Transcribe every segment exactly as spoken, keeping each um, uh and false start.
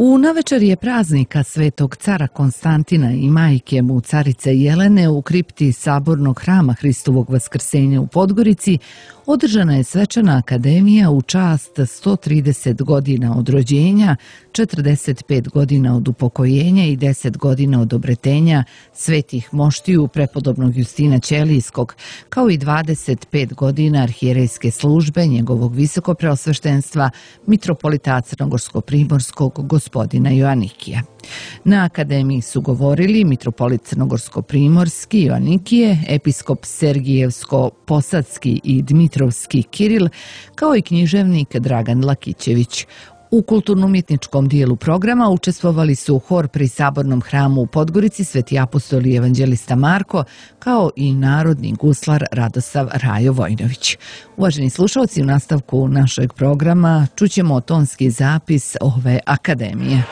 U navečerje praznika Svetog cara Konstantina i majke mu carice Jelene u kripti Sabornog hrama Hristovog Vaskrsenja u Podgorici održana je svečana akademija u čast sto trideset godina od rođenja, četrdeset pet godina od upokojenja i deset godina od obretenja svetih moštiju prepodobnog Justina Ćelijskog, kao i dvadeset pet godina arhijerejske službe njegovog visokopreosveštenstva mitropolita Crnogorsko-primorskog gospodina Joanikija. Na akademiji su govorili mitropolit Crnogorsko-primorski Joanikije, episkop Sergijevsko-Posadski i Dmitrovski Kiril, kao i književnik Dragan Lakićević. U kulturno-umjetničkom dijelu programa učestvovali su hor pri Sabornom hramu u Podgorici Sveti apostol i evanđelista Marko, kao i narodni guslar Radosav Rajo Vojnović. Uvaženi slušalci, u nastavku našeg programa čućemo tonski zapis ove akademije.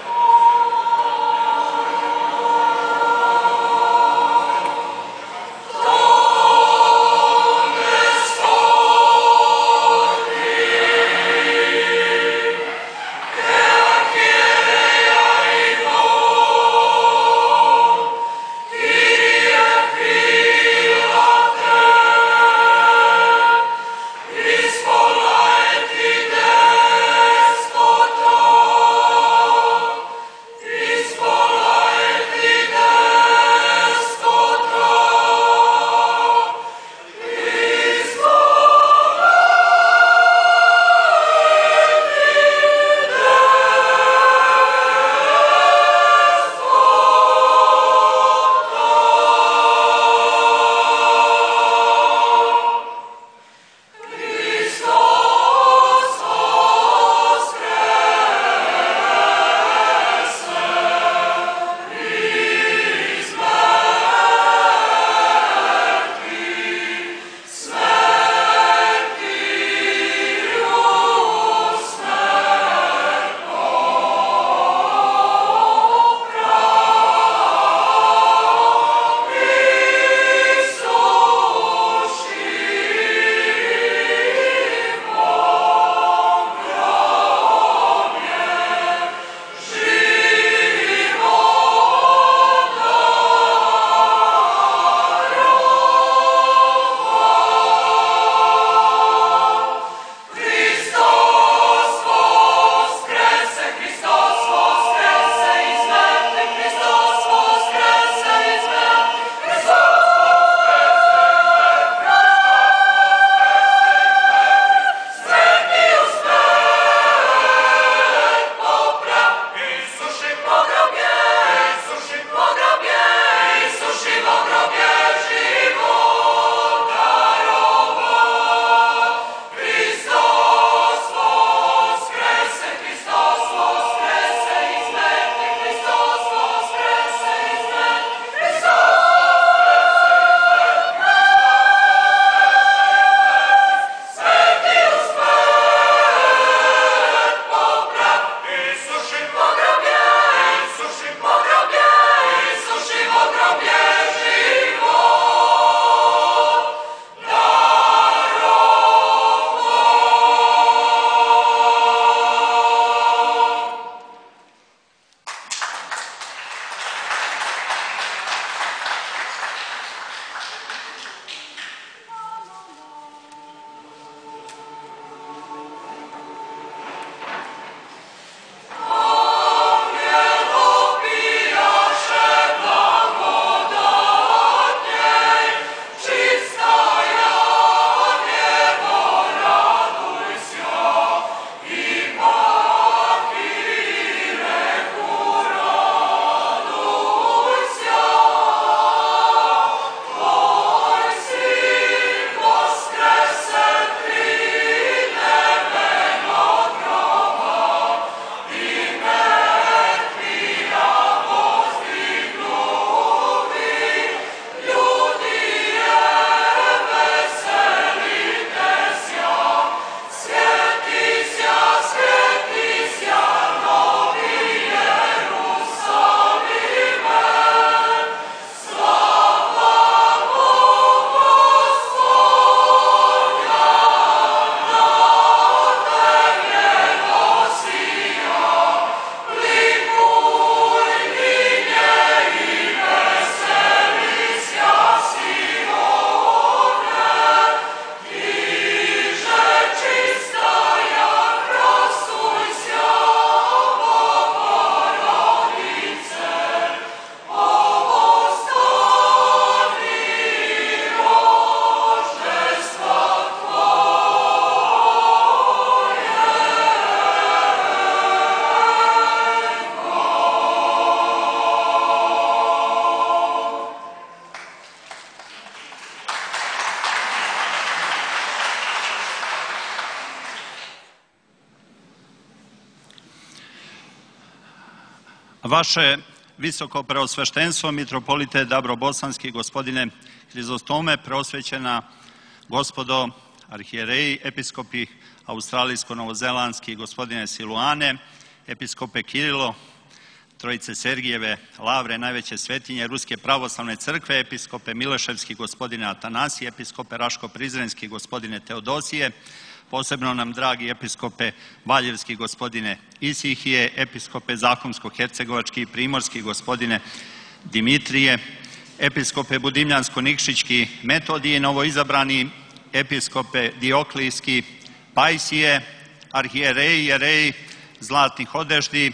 Vaše visoko preosveštenstvo, mitropolite Dabrobosanski, gospodine Hrizostome, preosvećena gospodo arhijereji, episkopi australijsko-novozelandski, gospodine Siluane, episkope Kirilo, Trojice Sergijeve Lavre, najveće svetinje Ruske pravoslavne crkve, episkope Mileševski, gospodine Atanasije, episkope Raško-Prizrenski, gospodine Teodosije, posebno nam dragi episkope Valjevski, gospodine Isihije, episkope Zahumsko-Hercegovački i Primorski, gospodine Dimitrije, episkope Budimljansko-Nikšićki Metodije, novoizabrani episkope Dioklijski Pajsije, arhijereji, jereji zlatnih odešdi,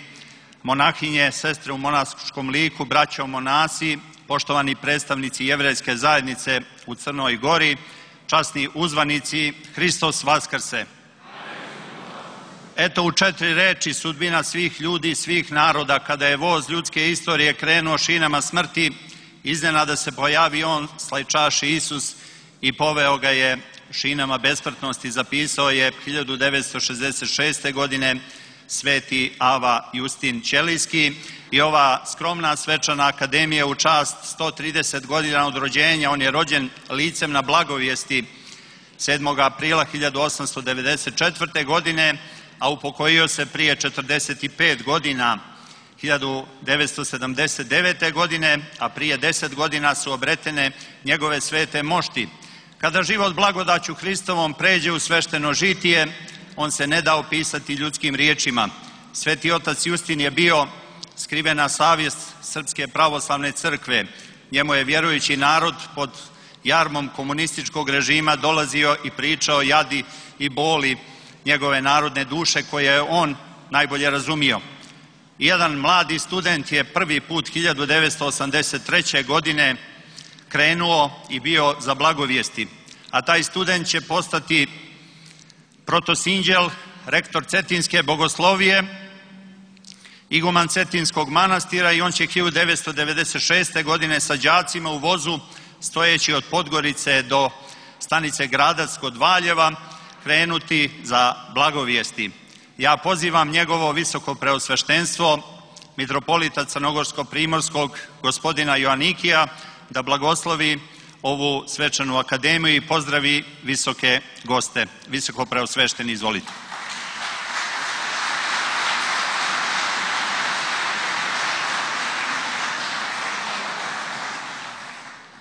monahinje, sestre u monaškom liku, braćo monasi, poštovani predstavnici jevrejske zajednice u Crnoj Gori, časni uzvanici, Hristos Vaskrse. Eto u četiri reči sudbina svih ljudi, svih naroda, kada je voz ljudske istorije krenuo šinama smrti, iznenada se pojavi on, slajčaši Isus, i poveo ga je šinama besmrtnosti. Zapisao je hiljadu devetsto šezdeset šeste. godine sveti Ava Justin Ćelijski, i ova skromna svečana akademija u čast sto trideset godina od rođenja. On je rođen licem na Blagovijesti sedmog aprila hiljadu osamsto devedeset četvrte. godine, a upokojio se prije četrdeset pet godina, hiljadu devetsto sedamdeset devete. godine, a prije deset godina su obretene njegove svete mošti. Kada život blagodaću Hristovom pređe u svešteno žitije, on se ne da opisati ljudskim riječima. Sveti otac Justin je bio skrivena savjest Srpske pravoslavne crkve. Njemu je vjerujući narod pod jarmom komunističkog režima dolazio i pričao jadi i boli njegove narodne duše koje je on najbolje razumio. Jedan mladi student je prvi put hiljadu devetsto osamdeset treće. godine krenuo i bio za blagovijesti, a taj student će postati protosinđel, rektor Cetinske bogoslovije, iguman Cetinskog manastira, i on će hiljadu devetsto devedeset šeste. godine sa đacima u vozu, stojeći od Podgorice do stanice Gradac kod Valjeva, krenuti za blagovijesti. Ja pozivam njegovo visoko preosveštenstvo, mitropolita Crnogorsko-Primorskog, gospodina Joanikija, da blagoslovi ovu svečanu akademiju i pozdravi visoke goste. Visoko preosvešteni, izvolite.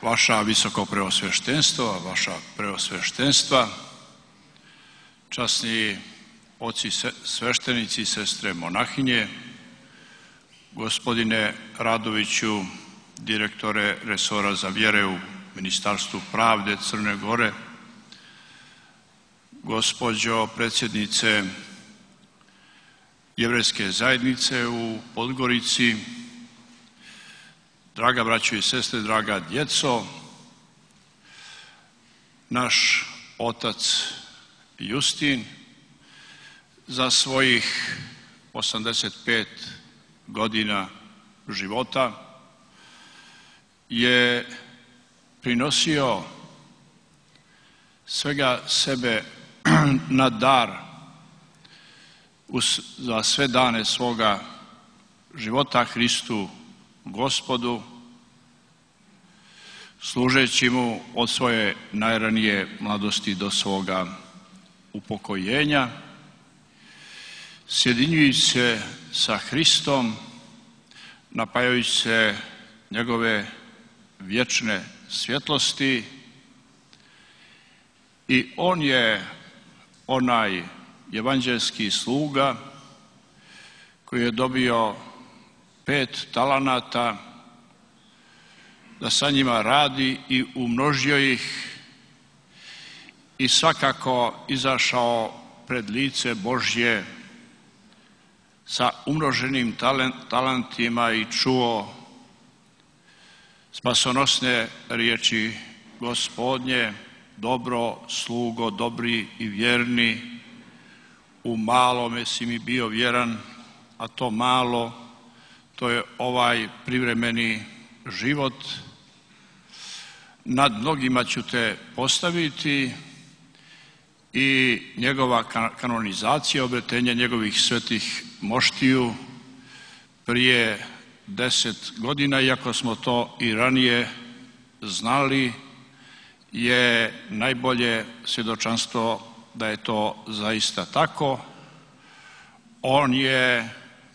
Vaša visoko preosveštenstvo, vaša preosveštenstva, časni oci sveštenici, sestre monahinje, gospodine Radoviću, direktore resora za vjere u Ministarstvu pravde Crne Gore, gospođo predsjednice jevrejske zajednice u Podgorici, draga braćo i sestre, draga djeco, naš otac Justin za svojih osamdeset pet godina života je prinosio svega sebe na dar za sve dane svoga života Hristu Gospodu, služeći mu od svoje najranije mladosti do svoga upokojenja, sjedinjujući se sa Hristom, napajajući se njegove vječne svjetlosti, i on je onaj evanđelski sluga koji je dobio pet talanata da sa njima radi i umnožio ih, i svakako izašao pred lice Božje sa umnoženim talentima i čuo spasonosne riječi Gospodnje: dobro slugo, dobri i vjerni, u malome si mi bio vjeran, a to malo, to je ovaj privremeni život. Nad mnogima ću te postaviti, i njegova kanonizacija, obretenje njegovih svetih moštiju prije deset godina, iako smo to i ranije znali, je najbolje svjedočanstvo da je to zaista tako. On je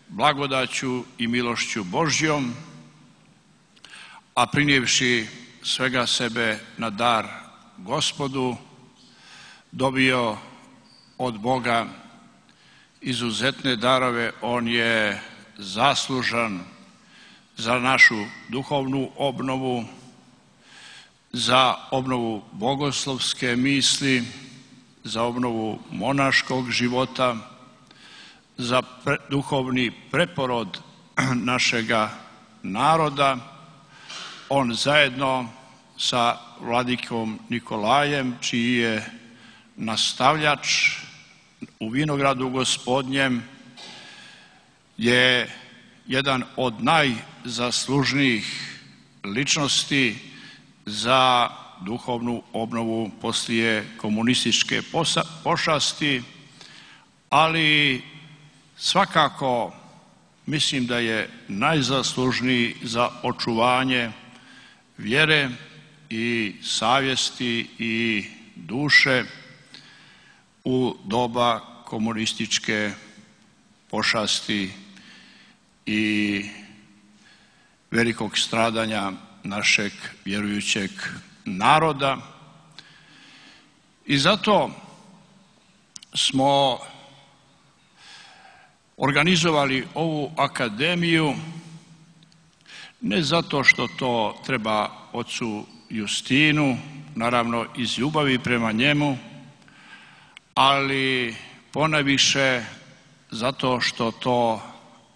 blagodaću i milošću Božjom, a prinijevši svega sebe na dar Gospodu, dobio od Boga izuzetne darove. On je zaslužan za našu duhovnu obnovu, za obnovu bogoslovske misli, za obnovu monaškog života, za pre, duhovni preporod našega naroda. On zajedno sa vladikom Nikolajem, čiji je nastavljač u vinogradu Gospodnjem, je jedan od najzaslužnijih ličnosti za duhovnu obnovu poslije komunističke pošasti, ali svakako mislim da je najzaslužniji za očuvanje vjere i savjesti i duše u doba komunističke pošasti i velikog stradanja našeg vjerujućeg naroda. I zato smo organizovali ovu akademiju, ne zato što to treba ocu Justinu, naravno iz ljubavi prema njemu, ali ponajviše zato što to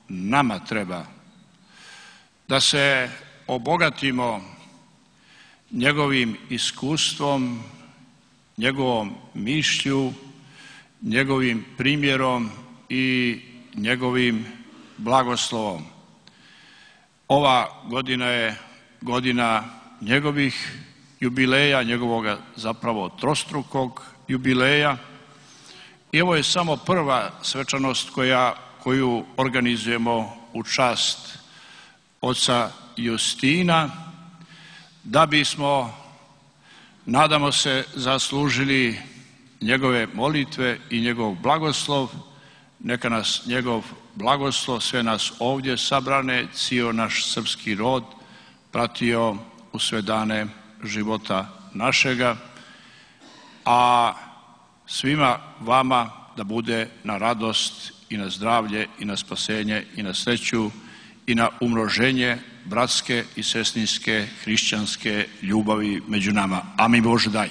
nama treba, da se obogatimo njegovim iskustvom, njegovom mišlju, njegovim primjerom i njegovim blagoslovom. Ova godina je godina njegovih jubileja, njegovoga zapravo trostrukog jubileja. I ovo je samo prva svečanost koja, koju organizujemo u čast oca Justina, da bismo, nadamo se, zaslužili njegove molitve i njegov blagoslov. Neka nas njegov blagoslov, sve nas ovdje sabrane, cijel naš srpski rod pratio u sve dane života našega, a svima vama da bude na radost i na zdravlje i na spasenje i na sreću i na umnoženje bratske i sestrinske hrišćanske ljubavi među nama. Amin Bože daj.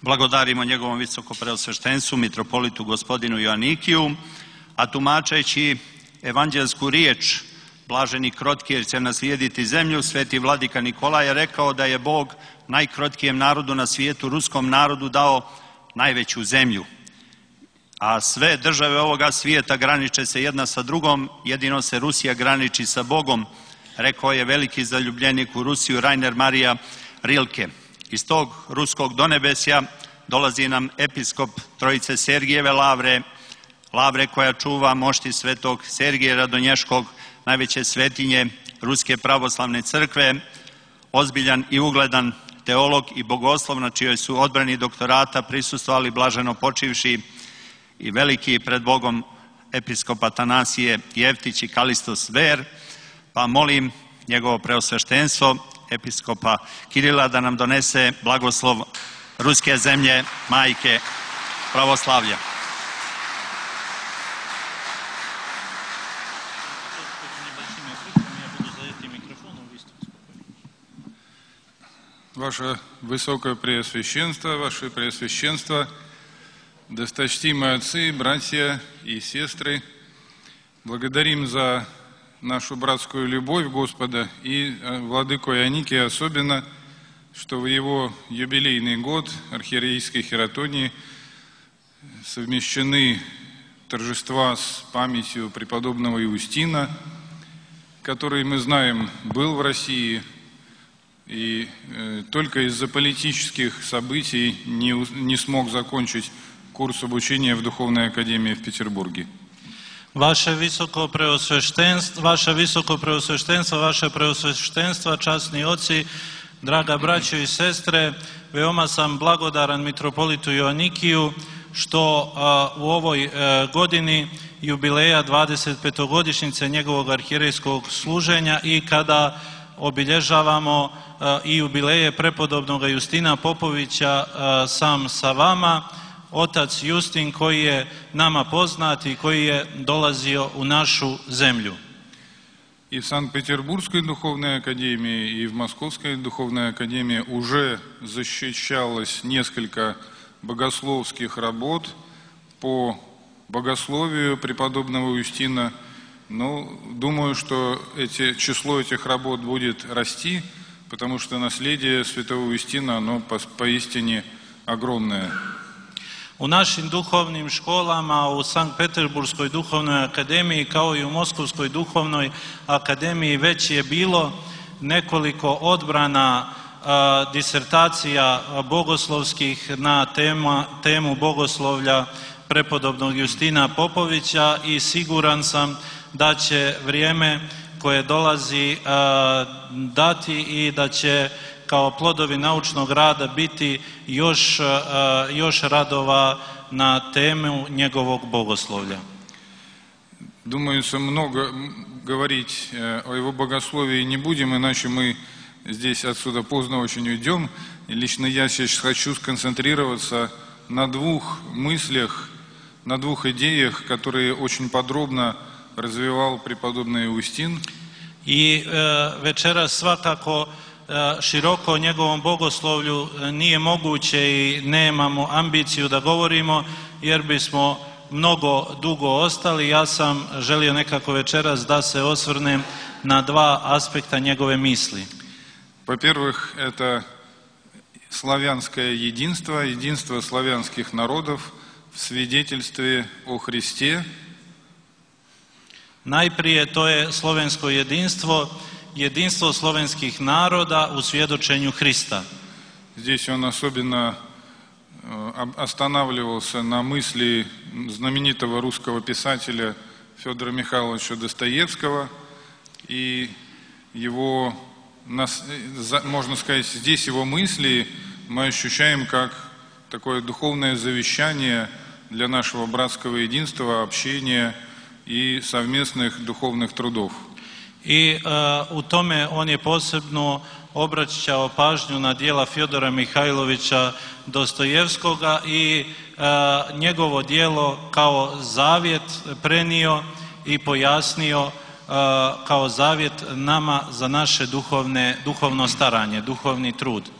Blagodarimo njegovom visokopreosveštenstvu, mitropolitu gospodinu Joanikiju, a tumačeći evanđelsku riječ blaženi krotki jer će naslijediti zemlju, sveti vladika Nikolaj je rekao da je Bog najkrotkijem narodu na svijetu, ruskom narodu, dao najveću zemlju. A sve države ovoga svijeta graniče se jedna sa drugom, jedino se Rusija graniči sa Bogom, rekao je veliki zaljubljenik u Rusiju Rainer Marija Rilke. Iz tog ruskog donebesja dolazi nam episkop Trojice Sergijeve lavre, lavre koja čuva mošti svetog Sergija Radonješkog, najveće svetinje Ruske pravoslavne crkve, ozbiljan i ugledan teolog i bogoslov na čijoj su odbrani doktorata prisustvovali blaženo počivši i veliki pred Bogom episkop Atanasije Jevtić i Kalistos Ver, pa molim njegovo preosveštenstvo episkopa Kirila da nam donese blagoslov ruske zemlje, majke pravoslavlja. Ваше Высокое Преосвященство, Ваше Преосвященство, досточтимые отцы, братья и сестры, благодарим за нашу братскую любовь Господа и владыку Ионикия особенно, что в его юбилейный год архиерейской хератонии совмещены торжества с памятью преподобного Иустина, который, мы знаем, был в России, и э, только из-за политических событий не, не смог закончить курс обучения в Духовной Академии в Петербурге. Vaše visoko preosveštenstvo, vaše visoko preosveštenstvo, vaše preosveštenstva, časni oci, draga braćo i sestre, veoma sam blagodaran mitropolitu Joanikiju što a, u ovoj a, godini jubileja dvadesetpetogodišnjice njegovog arhijerejskog služenja i kada obilježavamo a, i jubileje prepodobnog Justina Popovića a, sam sa vama, otac Justin koji je nama poznat i koji je dolazio u našu zemlju. И в Санкт-Петербургской Духовной Академии, и в Московской Духовной Академии уже защищалось несколько богословских работ по богословию преподобного Юстина. Но думаю, что эти, число этих работ будет расти, потому что наследие святого Юстина, оно по, поистине огромное. U našim duhovnim školama, u Sankt-Peterburgskoj duhovnoj akademiji kao i u Moskovskoj duhovnoj akademiji već je bilo nekoliko odbrana a, disertacija bogoslovskih na tema, temu bogoslovlja prepodobnog Justina Popovića i siguran sam da će vrijeme koje dolazi a, dati i da će kao plodovi naučnog rada biti još, još radova na temu njegovog bogoslovlja. Думаю, что много говорить о его богословии не будем, иначе мы здесь отсюда поздно очень уйдем. И лично я сейчас хочу сконцентрироваться на двух мыслях, на двух идеях, которые очень подробно развивал преподобный Иустин. I e, večeras svakako široko o njegovom bogoslovlju nije moguće i nemamo ambiciju da govorimo jer bismo mnogo dugo ostali. Ja sam želio nekako večeras da se osvrnem na dva aspekta njegove misli. Во-первых, это славянское единство, единство славянских народов в свидетельстве о Христе. Najprije to je slovensko jedinstvo, jedinstvo slovenskih naroda u svjedočenju Hrista. Здесь он особенно останавливался на мысли знаменитого русского писателя Федора Михайловича Достоевского и его, можно сказать, здесь его мысли мы ощущаем как такое духовное завещание для нашего братского единства, общения и совместных духовных трудов. I uh, u tome on je posebno obraćao pažnju na djela Fjodora Mihajlovića Dostojevskoga i uh, njegovo djelo kao zavjet prenio i pojasnio uh, kao zavjet nama za naše duhovne, duhovno staranje, duhovni trud.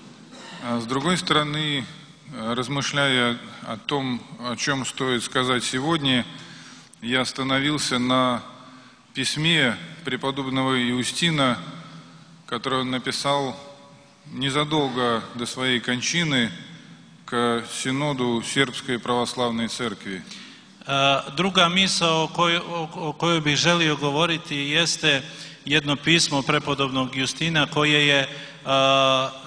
А с другой стороны, размышляя о том, о чем стоит сказать сегодня, я остановился на письме преподобного Иустина, которое он написал незадолго до своей кончины к синоду Сербской православной церкви. Druga misao o kojoj, o kojoj bih želio govoriti jeste jedno pismo prepodobnog Justina koje je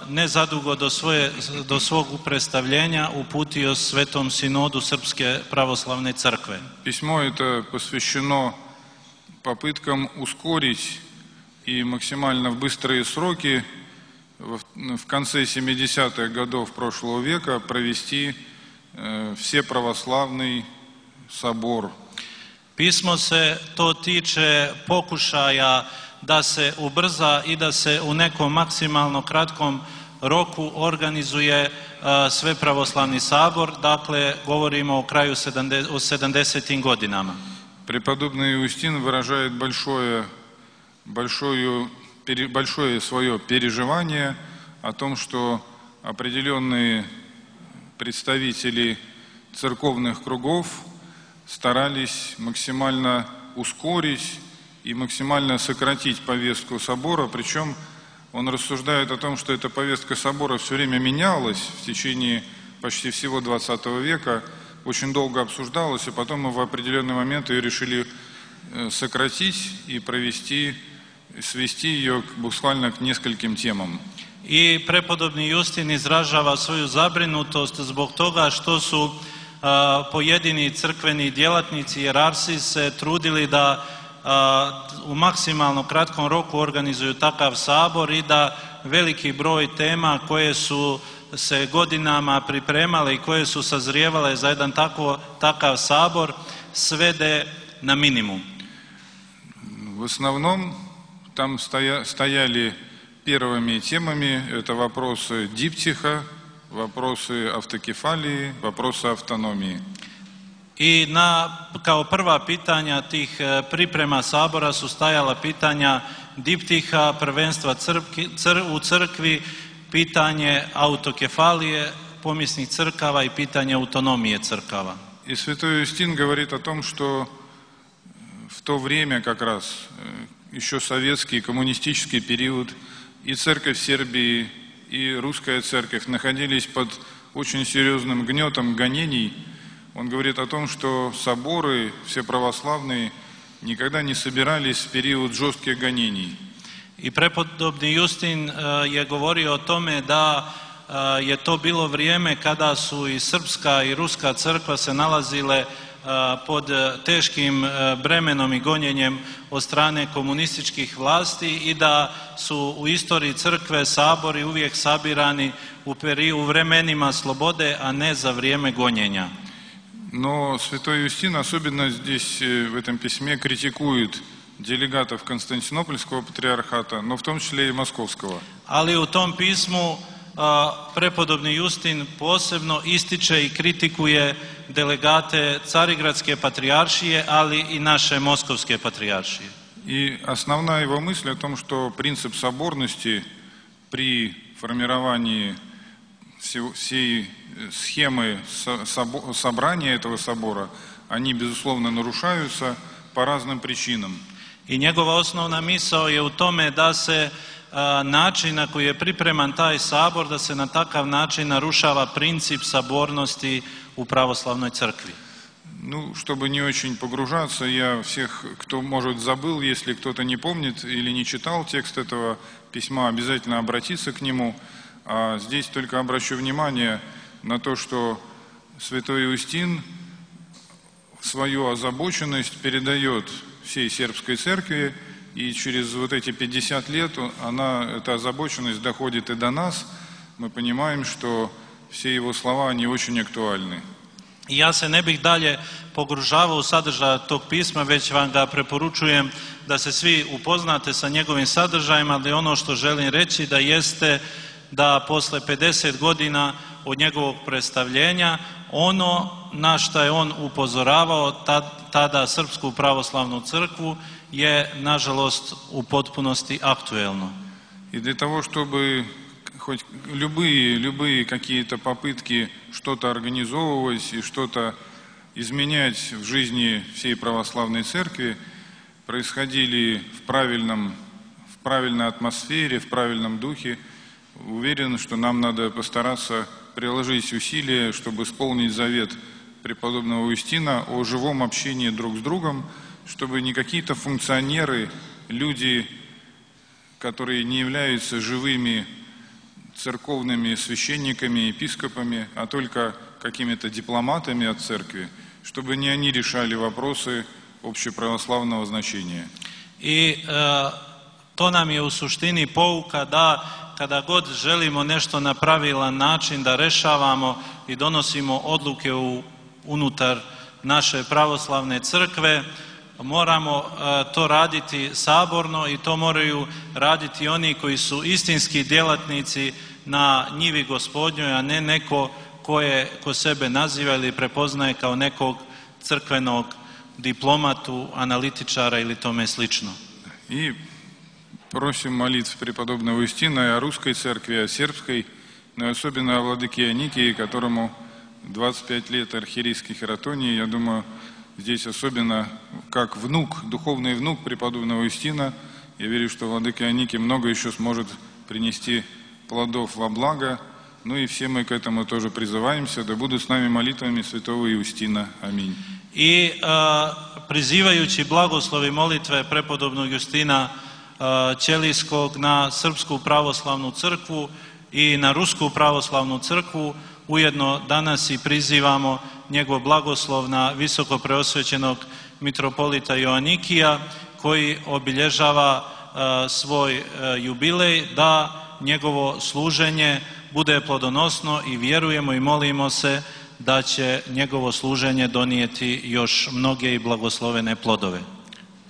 nezadugo do, svoje, do svog predstavljenja uputio Svetom sinodu Srpske pravoslavne crkve. Письмо это посвящено попыткам ускорить и максимально в быстрые сроки в конце семидесятых годов прошлого века провести всеправославный собор. Pismo se to tiče pokušaja da se ubrza i da se u nekom maksimalno kratkom roku organizuje sve pravoslavni sabor, dakle govorimo o kraju sedamdesetim godinama. Преподобный Иустин выражает большое, большое, большое свое переживание о том, что определенные представители церковных кругов старались максимально ускорить и максимально сократить повестку собора, причем он рассуждает о том, что эта повестка собора все время менялась в течение почти всего двадцатого века, очень долго обсуждалась, и потом мы в определенный момент ее решили сократить и провести свести ее буквально к нескольким темам. I prepodobni Justin izražava svoju zabrinutost zbog toga što su a, pojedini crkveni djelatnici, jerarsi se trudili da a, u maksimalno kratkom roku organizuju takav sabor i da veliki broj tema koje su se godinama pripremale i koje su sazrijevale za jedan tako, takav sabor svede na minimum. В основном там стоя, стояли первыми темами это вопросы диптиха, вопросы автокефалии, вопросы автономии. I na, kao prva pitanja tih priprema sabora su stajala pitanja diptiha, prvenstva crkvi, cr, u crkvi, pitanje autokefalije, pomjesnih crkava i pitanje autonomije crkava. И святой Юстин говорит о том, что в то время как раз, еще советский коммунистический период, и церковь Сербии, и русская церковь находились под очень серьезным гнетом гонений. Он говорит о том, что соборы все православные никогда не собирались в период жестких гонений. I prepodobni Justin je govorio o tome da je to bilo vrijeme kada su i srpska i ruska crkva se nalazile pod teškim bremenom i gonjenjem od strane komunističkih vlasti i da su u istoriji crkve sabori uvijek sabirani u, peri, u vremenima slobode, a ne za vrijeme gonjenja. Но святой Юстин особенно здесь в этом письме критикует делегатов Константинопольского патриархата, но в том числе и Московского. Ali u tom pismu prepodobni Justin posebno ističe i kritikuje delegate Carigradske patrijaršije, ali i naše Moskovske patrijaršije. И основная его мысль о том, что принцип соборности при формировании всей схемы собрания этого собора, они, безусловно, нарушаются по разным причинам. I njegova osnovna misao je u tome da se a, način na koji je pripreman taj sabor, da se na takav način narušava princip sabornosti u pravoslavnoj crkvi. Ну, чтобы не очень погружаться, я всех, кто, может, забыл, если кто-то не помнит или не читал текст этого письма, обязательно обратиться к нему. А здесь только обращу внимание на то, что святой Юстин свою озабоченность передает всей сербской церкви, и через вот эти пятьдесят лет она, эта озабоченность доходит и до нас. Мы понимаем, что все его слова, они очень актуальны. I ja se ne bih dalje pogružavao u sadržaj tog pisma, već vam ga preporučujem da se svi upoznate sa njegovim sadržajem, ali ono što želim reći da jeste da posle pedeset godina od njegovog predstavljenja, ono na što je on upozoravao tada Srpsku pravoslavnu crkvu je, nažalost, u potpunosti aktuelno. И для того, чтобы хоть любые, любые какие-то попытки что-то организовывать и что-то изменять в жизни всей православной церкви происходили в правильном, в правильной атмосфере, в правильном духе, уверен, что нам надо постараться приложить усилия, чтобы исполнить завет преподобного Юстина о живом общении друг с другом, чтобы не какие-то функционеры, люди, которые не являются живыми церковными священниками, епископами, а только какими-то дипломатами от церкви, чтобы не они решали вопросы общеправославного значения. I e, to nam je u suštini pouka da kada god želimo nešto na pravilan način da rešavamo i donosimo odluke u, unutar naše pravoslavne crkve, moramo e, to raditi saborno i to moraju raditi oni koji su istinski djelatnici na njivi Gospodnjoj, a ne neko ko, je, ko sebe naziva ili prepoznaje kao nekog crkvenog diplomatu, analitičara ili tome slično. И просим молитв преподобного Юстина и о русской церкви, о сербской, но особенно о владыке Аникии, которому двадцать пять лет архиерейской хератонии. Я думаю, здесь особенно как внук, духовный внук преподобного Юстина, я верю, что владыка Аникий много еще сможет принести плодов во благо. Ну и все мы к этому тоже призываемся. Да будут с нами молитвами святого Юстина. Аминь. I uh, prizivajući blagoslovi molitve prepodobnog Justina Ćelijskog na Srpsku pravoslavnu crkvu i na Rusku pravoslavnu crkvu. Ujedno danas i prizivamo njegov blagoslov na visoko preosvećenog mitropolita Joanikija koji obilježava svoj jubilej, da njegovo služenje bude plodonosno i vjerujemo i molimo se da će njegovo služenje donijeti još mnoge i blagoslovene plodove.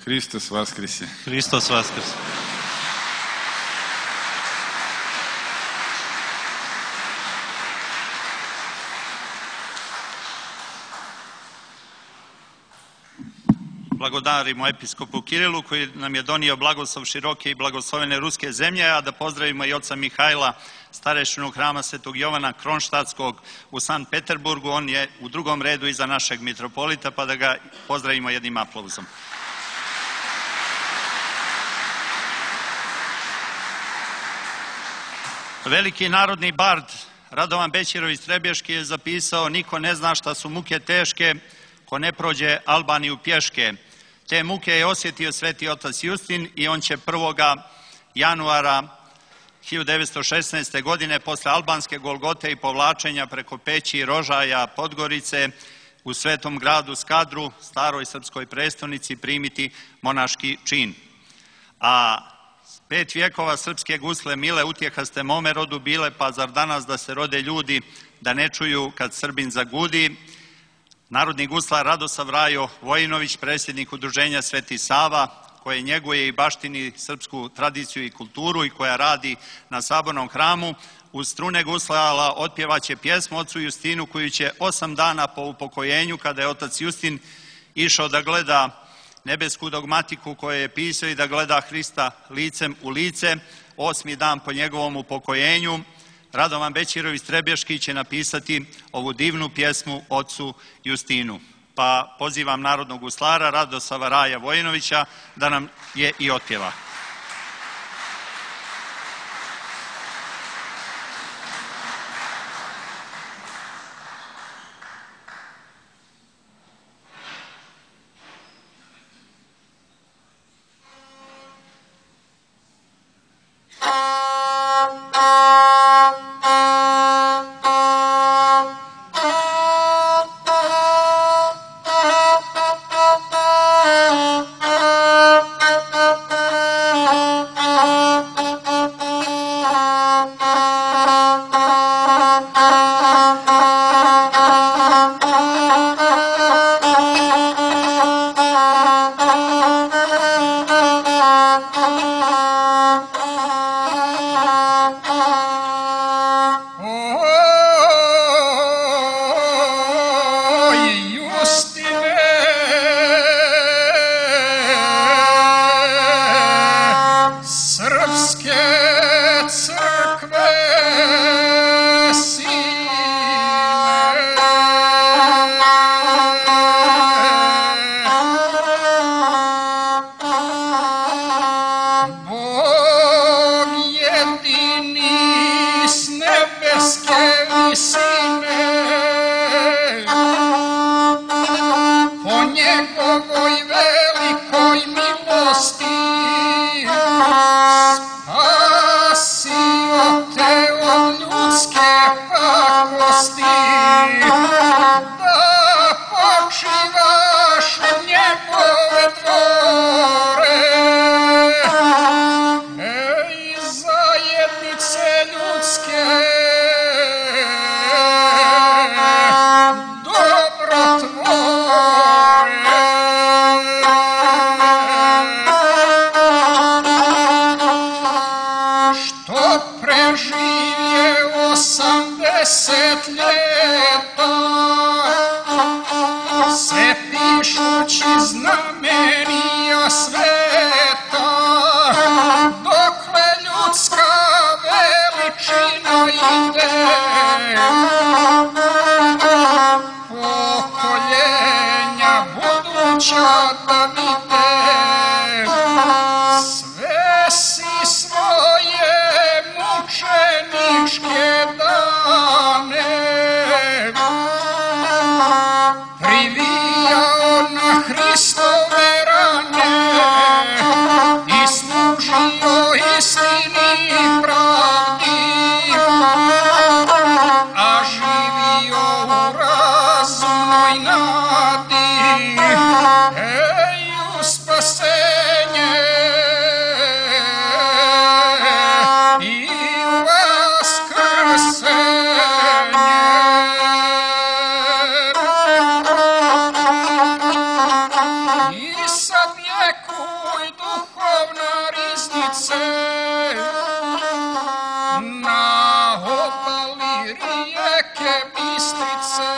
Hristos Vaskrese. Hristos Vaskrese. Blagodarimo episkopu Kirilu koji nam je donio blagoslov široke i blagoslovene ruske zemlje, a da pozdravimo i oca Mihajla, starešinu hrama Svetog Jovana Kronštatskog u Sankt Peterburgu. On je u drugom redu iza našeg mitropolita, pa da ga pozdravimo jednim aplauzom. Veliki narodni bard Radovan Bećirović Trebješki je zapisao: niko ne zna šta su muke teške ko ne prođe Albaniju pješke. Te muke je osjetio sveti otac Justin i on će prvoga januara hiljadu devetsto šesnaeste. godine posle albanske Golgote i povlačenja preko Peći, Rožaja, Podgorice u svetom gradu Skadru, staroj srpskoj prestonici, primiti monaški čin. A pet vjekova srpske gusle mile utjehaste mome rodu bile, pa zar danas da se rode ljudi da ne čuju kad Srbin zagudi. Narodni guslar Radosav Rajo Vojinović, predsjednik udruženja Sveti Sava, koje njeguje i baštini srpsku tradiciju i kulturu i koja radi na Sabornom hramu, uz strune guslala otpjevaće pjesmu ocu Justinu koju će osam dana po upokojenju, kada je otac Justin išao da gleda nebesku dogmatiku koju je pisao i da gleda Hrista licem u lice, osmi dan po njegovom upokojenju, Radovan Bećirović Trebješki će napisati ovu divnu pjesmu ocu Justinu. Pa pozivam narodnog guslara Radosava Raja Vojinovića da nam je i otpjeva. Privijao na Hristove rane i služi mjestice na obali rijeke Bistrice,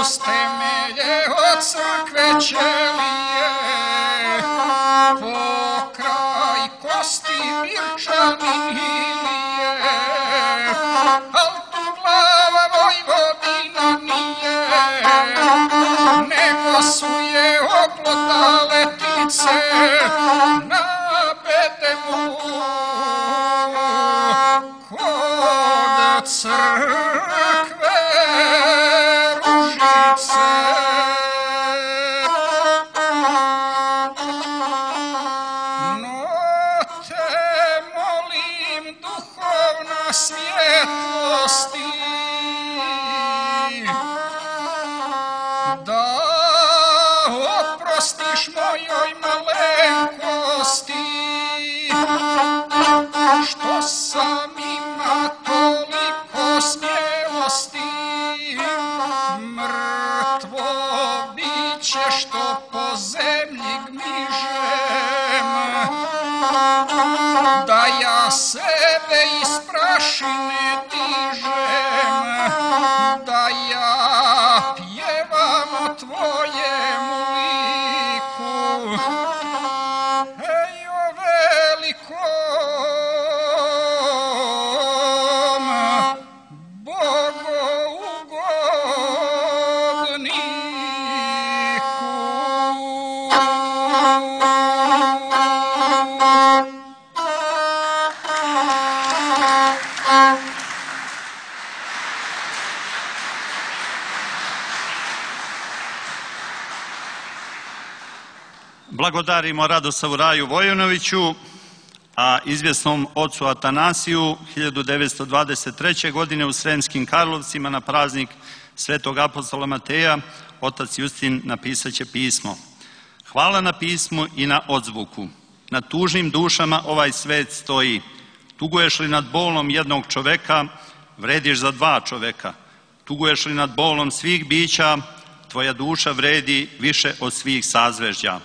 uz temelje od crkve ćelije, pokraj kosti Birčanilije, al tu glava Vojvodina nije, nego su je oplotale ptice na bedemu kod crkve Ružice. No te molim, duhovna svjetlosti, da oprostiš mojoj malenkosti, što sam ima toliko smjelosti, mrtvo biće što po zemlji gmižem, da ja sebe iz prašine dižem, da ja pjevam o tvojemu liku, ej o velikom bogougodniku. Blagodarimo Radosavu Raju Vojinoviću, a izvjesnom ocu Atanasiju hiljadu devetsto dvadeset treće. godine u Sremskim Karlovcima na praznik Svetog apostola Mateja otac Justin napisat će pismo. Hvala na pismu i na odzvuku. Na tužnim dušama ovaj svet stoji. Tuguješ li nad bolom jednog čoveka, vrediš za dva čoveka. Tuguješ li nad bolom svih bića, tvoja duša vredi više od svih sazvežđa.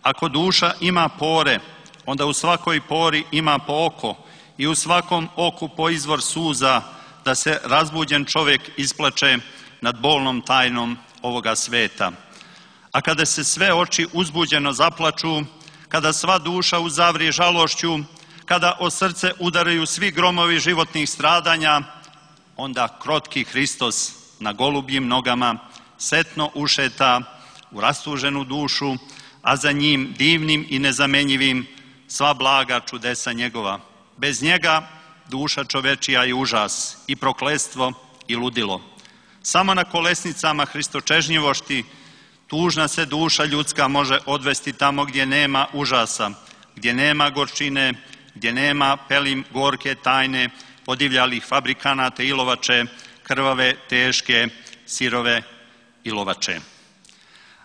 Ako duša ima pore, onda u svakoj pori ima po oko i u svakom oku po izvor suza, da se razbuđen čovjek isplače nad bolnom tajnom ovoga sveta. A kada se sve oči uzbuđeno zaplaču, kada sva duša uzavri žalošću, kada o srce udaraju svi gromovi životnih stradanja, onda krotki Hristos na golubljim nogama setno ušeta u rastuženu dušu, a za njim divnim i nezamenjivim sva blaga čudesa njegova. Bez njega duša čovečija je užas i prokletstvo i ludilo. Samo na kolesnicama hristočežnjivošti tužna se duša ljudska može odvesti tamo gdje nema užasa, gdje nema gorčine, gdje nema pelim gorke tajne podivljalih fabrikanata ilovače, krvave, teške, sirove ilovače.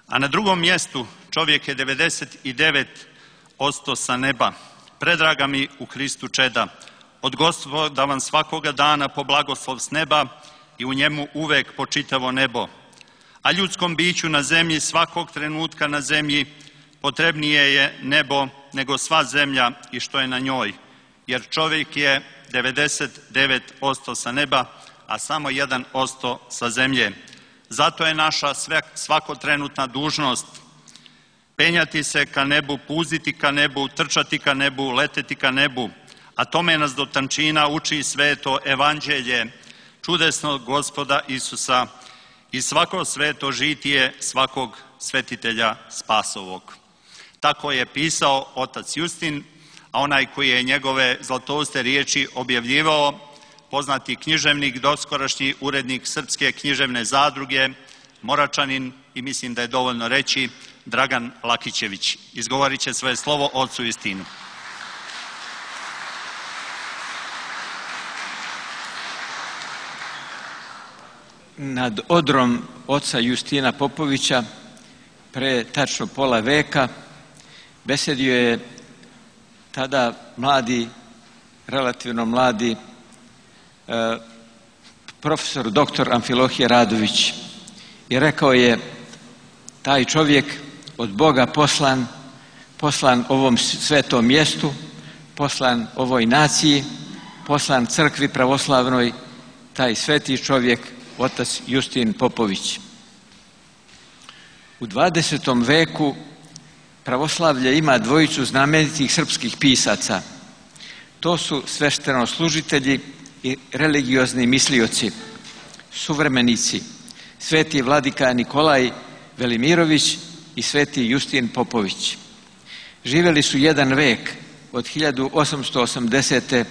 A na drugom mjestu čovjek je devedeset devet posto sa neba. Predraga mi u Hristu čeda, od Gospoda vam svakoga dana po blagoslov s neba i u njemu uvek po čitavo nebo. A ljudskom biću na zemlji svakog trenutka na zemlji potrebnije je nebo nego sva zemlja i što je na njoj, jer čovjek je devedeset devet posto sa neba, a samo jedan posto sa zemlje. Zato je naša svakotrenutna dužnost penjati se ka nebu, puziti ka nebu, trčati ka nebu, leteti ka nebu, a tome nas do tančina uči sveto evanđelje čudesnog Gospoda Isusa i svako sveto žitije svakog svetitelja spasovog. Tako je pisao otac Justin, a onaj koji je njegove zlatouste riječi objavljivao, poznati književnik, doskorašnji urednik Srpske književne zadruge, Moračanin, i mislim da je dovoljno reći, Dragan Lakićević. Izgovorit će svoje slovo ocu Justinu. Nad odrom oca Justina Popovića pre tačno pola veka besedio je tada mladi, relativno mladi profesor doktor Amfilohije Radović i rekao je: taj čovjek od Boga poslan poslan ovom svetom mjestu, poslan ovoj naciji, poslan crkvi pravoslavnoj, taj sveti čovjek, otac Justin Popović. U dvadesetom veku pravoslavlje ima dvojicu znamenitih srpskih pisaca. To su sveštenoslужitelji i religiozni mislioci, suvremenici, sveti vladika Nikolaj Velimirović i sveti Justin Popović. Živjeli su jedan vek, od hiljadu osamsto osamdesete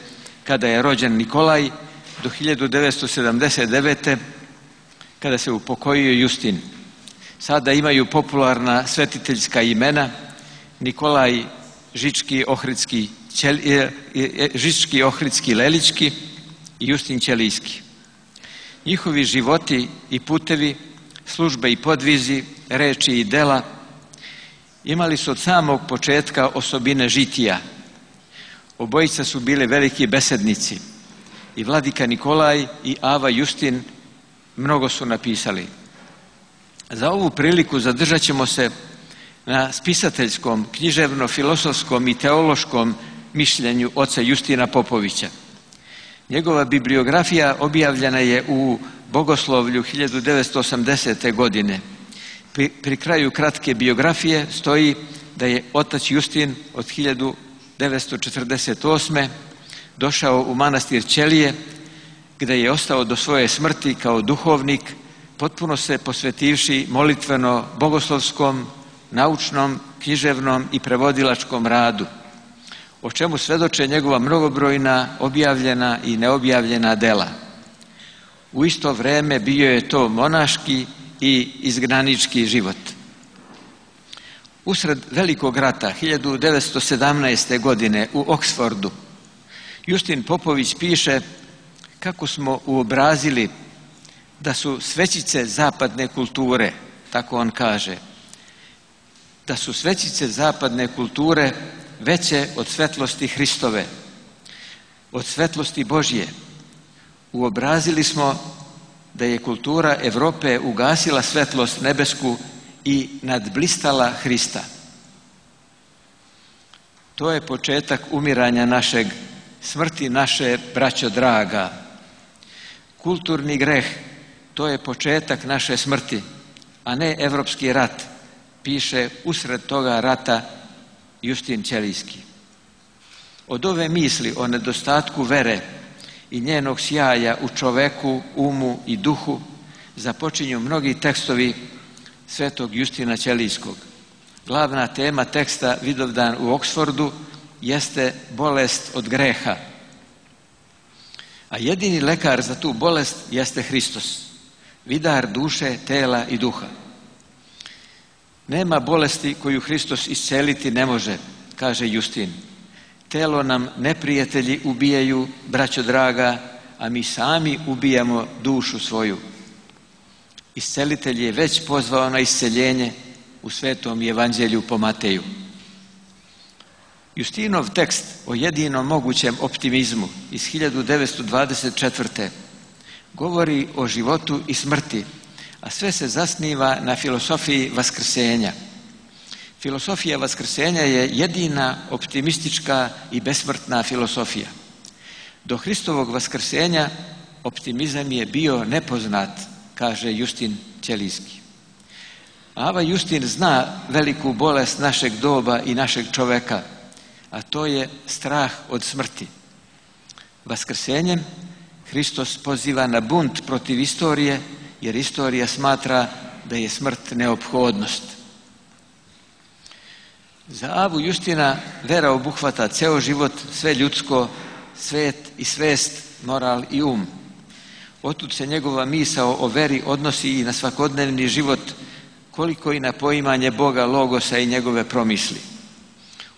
kada je rođen Nikolaj do hiljadu devetsto sedamdeset devete kada se upokojio Justin. Sada imaju popularna svetiteljska imena Nikolaj Žički Ohridski, Žički Ohridski Lelički i Justin Ćelijski. Njihovi životi i putevi, službe i podvizi, reči i dela imali su od samog početka osobine žitija. Obojica su bili veliki besednici. I vladika Nikolaj i Ava Justin mnogo su napisali. Za ovu priliku zadržat ćemo se na spisateljskom, književno-filosofskom i teološkom mišljenju oca Justina Popovića. Njegova bibliografija objavljena je u Bogoslovlju hiljadu devetsto osamdesete godine. Pri, pri kraju kratke biografije stoji da je otac Justin od hiljadu devetsto četrdeset osme došao u manastir Ćelije, gdje je ostao do svoje smrti kao duhovnik, potpuno se posvetivši molitveno bogoslovskom, naučnom, književnom i prevodilačkom radu, o čemu svedoče njegova mnogobrojna objavljena i neobjavljena dela. U isto vrijeme bio je to monaški i izgnanički život. Usred Velikog rata hiljadu devetsto sedamnaeste. godine u Oksfordu Justin Popović piše kako smo uobrazili da su svećice zapadne kulture, tako on kaže, da su svećice zapadne kulture veće od svetlosti Hristove, od svetlosti Božje. Uobrazili smo da je kultura Evrope ugasila svetlost nebesku i nadblistala Hrista. To je početak umiranja našeg, smrti naše, braćo draga. Kulturni greh, to je početak naše smrti, a ne evropski rat, piše usred toga rata Justin Ćelijski. Od ove misli o nedostatku vere i njenog sjaja u čoveku, umu i duhu započinju mnogi tekstovi svetog Justina Ćelijskog. Glavna tema teksta Vidovdan u Oksfordu jeste bolest od greha. A jedini lekar za tu bolest jeste Hristos, vidar duše, tela i duha. Nema bolesti koju Hristos isceliti ne može, kaže Justin. Telo nam neprijatelji ubijaju, braćo draga, a mi sami ubijamo dušu svoju. Iscelitelj je već pozvao na isceljenje u Svetom Evanđelju po Mateju. Justinov tekst o jedinom mogućem optimizmu iz hiljadu devetsto dvadeset četvrte. govori o životu i smrti, a sve se zasniva na filosofiji vaskrsenja. Filosofija vaskrsenja je jedina optimistička i besmrtna filosofija. Do Hristovog vaskrsenja optimizam je bio nepoznat, kaže Justin Ćelijski. Ava Justin zna veliku bolest našeg doba i našeg čoveka, a to je strah od smrti. Vaskrsenjem Hristos poziva na bunt protiv istorije, jer istorija smatra da je smrt neophodnost. Za Avu Justina vera obuhvata ceo život, sve ljudsko, svet i svest, moral i um. Otud se njegova misao o veri odnosi i na svakodnevni život, koliko i na poimanje Boga, logosa i njegove promisli.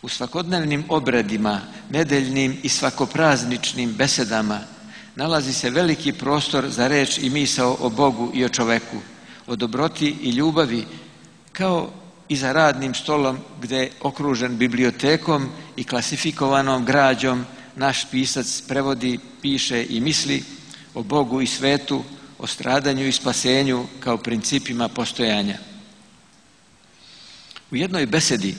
U svakodnevnim obredima, nedeljnim i svakoprazničnim besedama nalazi se veliki prostor za reč i misao o Bogu i o čoveku, o dobroti i ljubavi, kao i za radnim stolom gdje je okružen bibliotekom i klasifikovanom građom naš pisac prevodi, piše i misli o Bogu i svetu, o stradanju i spasenju kao principima postojanja. U jednoj besedi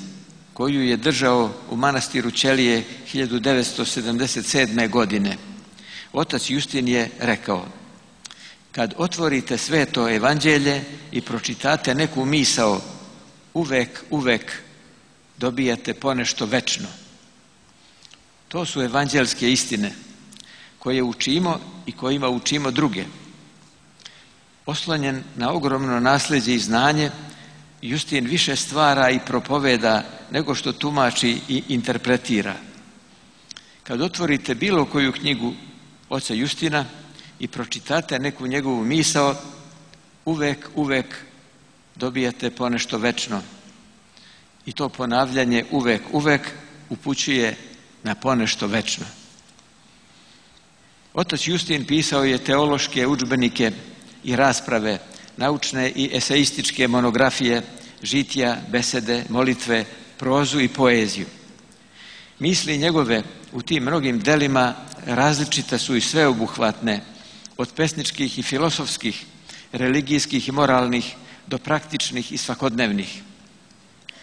koju je držao u manastiru Ćelije hiljadu devetsto sedamdeset sedme. godine. Otac Justin je rekao: kad otvorite sveto evanđelje i pročitate neku misao, uvek, uvek dobijate ponešto večno. To su evanđelske istine koje učimo i kojima učimo druge. Oslonjen na ogromno nasljeđe i znanje, Justin više stvara i propoveda nego što tumači i interpretira. Kad otvorite bilo koju knjigu oca Justina i pročitate neku njegovu misao, uvek, uvek dobijate ponešto večno. I to ponavljanje uvek, uvek upućuje na ponešto večno. Otac Justin pisao je teološke udžbenike i rasprave, naučne i eseističke monografije, žitija, besede, molitve, prozu i poeziju. Misli njegove u tim mnogim delima različite su i sveobuhvatne, od pesničkih i filosofskih, religijskih i moralnih do praktičnih i svakodnevnih.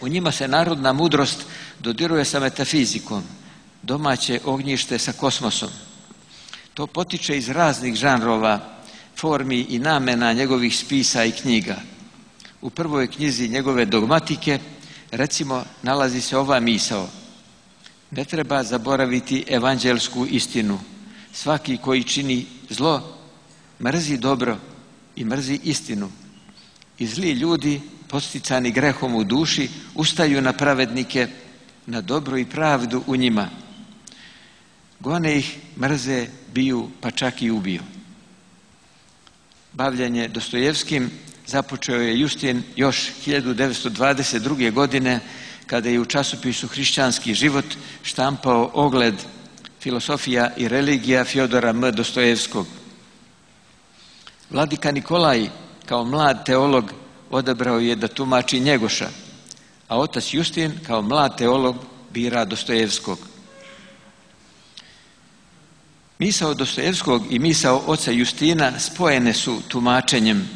U njima se narodna mudrost dodiruje sa metafizikom, domaće ognjište sa kosmosom. To potiče iz raznih žanrova, formi i namena njegovih spisa i knjiga. U prvoj knjizi njegove dogmatike, recimo, nalazi se ova misao: ne treba zaboraviti evanđelsku istinu. Svaki koji čini zlo, mrzi dobro i mrzi istinu. I zli ljudi, podsticani grehom u duši, ustaju na pravednike, na dobro i pravdu u njima. Gone ih, mrze, biju, pa čak i ubiju. Bavljenje Dostojevskim započeo je Justin još hiljadu devetsto dvadeset druge. godine, kada je u časopisu Hrišćanski život štampao ogled Filosofija i religija Fjodora M. Dostojevskog. Vladika Nikolaj, kao mlad teolog, odabrao je da tumači Njegoša, a otac Justin, kao mlad teolog, bira Dostojevskog. Misao Dostojevskog i misao oca Justina spojene su tumačenjem,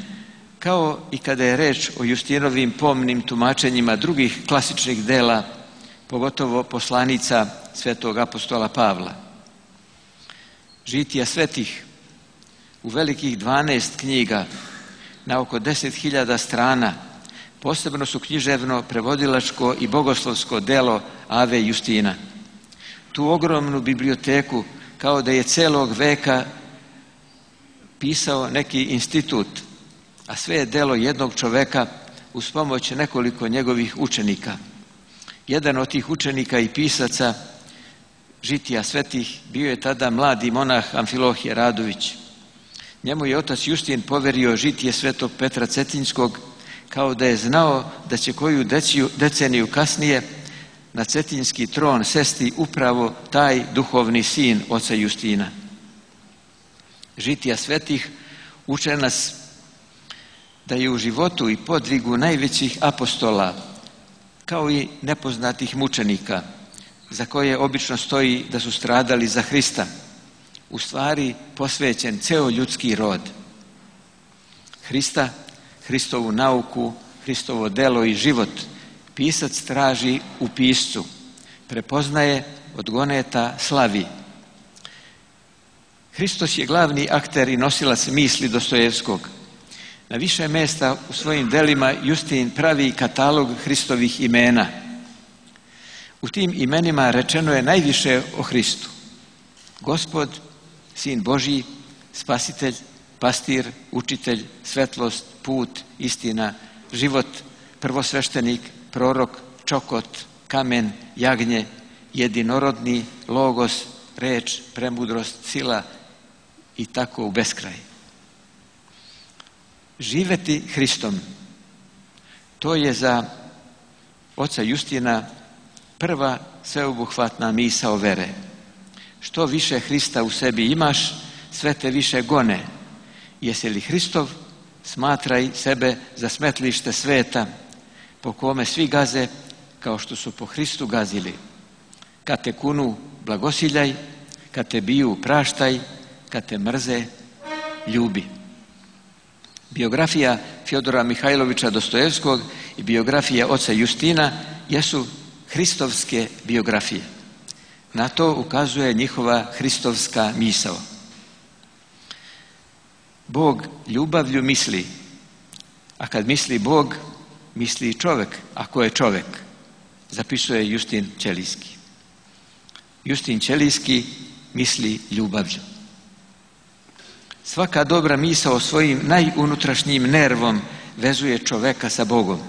kao i kada je reč o Justinovim pomnim tumačenjima drugih klasičnih dela, pogotovo poslanica svetog apostola Pavla. Žitija svetih u velikih dvanaest knjiga na oko deset hiljada strana posebno su književno, prevodilačko i bogoslovsko delo Ave Justina. Tu ogromnu biblioteku, kao da je celog veka pisao neki institut, a sve je delo jednog čoveka uz pomoć nekoliko njegovih učenika. Jedan od tih učenika i pisaca Žitija svetih bio je tada mladi monah Amfilohije Radović. Njemu je otac Justin poverio žitije svetog Petra Cetinjskog, kao da je znao da će koju deceniju kasnije na cetinjski tron sesti upravo taj duhovni sin oca Justina. Žitija svetih uče nas da je u životu i podvigu najvećih apostola, kao i nepoznatih mučenika, za koje obično stoji da su stradali za Hrista, u stvari posvećen ceo ljudski rod. Hrista, Hristovu nauku, Hristovo delo i život pisac traži u piscu, prepoznaje, odgoneta, slavi. Hristos je glavni akter i nosilac misli Dostojevskog. Na više mjesta u svojim delima Justin pravi katalog Hristovih imena. U tim imenima rečeno je najviše o Hristu: Gospod, Sin Božji, Spasitelj, Pastir, Učitelj, Svetlost, Put, Istina, Život, Prvosveštenik, Prorok, Čokot, Kamen, Jagnje, Jedinorodni, Logos, Reč, Premudrost, Sila i tako u beskraj. Živeti Hristom, to je za oca Justina prva sveobuhvatna misao vere. Što više Hrista u sebi imaš, sve te više gone. Jesi li Hristov, smatraj sebe za smetlište sveta, po kome svi gaze kao što su po Hristu gazili. Kad te kunu, blagosiljaj, kad te biju, praštaj, kad te mrze, ljubi. Biografija Fjodora Mihajlovića Dostojevskog i biografija oca Justina jesu hristovske biografije. Na to ukazuje njihova hristovska misao. Bog ljubavlju misli, a kad misli Bog, misli i čovjek, ako je čovjek, zapisuje Justin Ćelijski. Justin Ćelijski misli ljubavlju. Svaka dobra misao svojim najunutrašnjim nervom vezuje čoveka sa Bogom.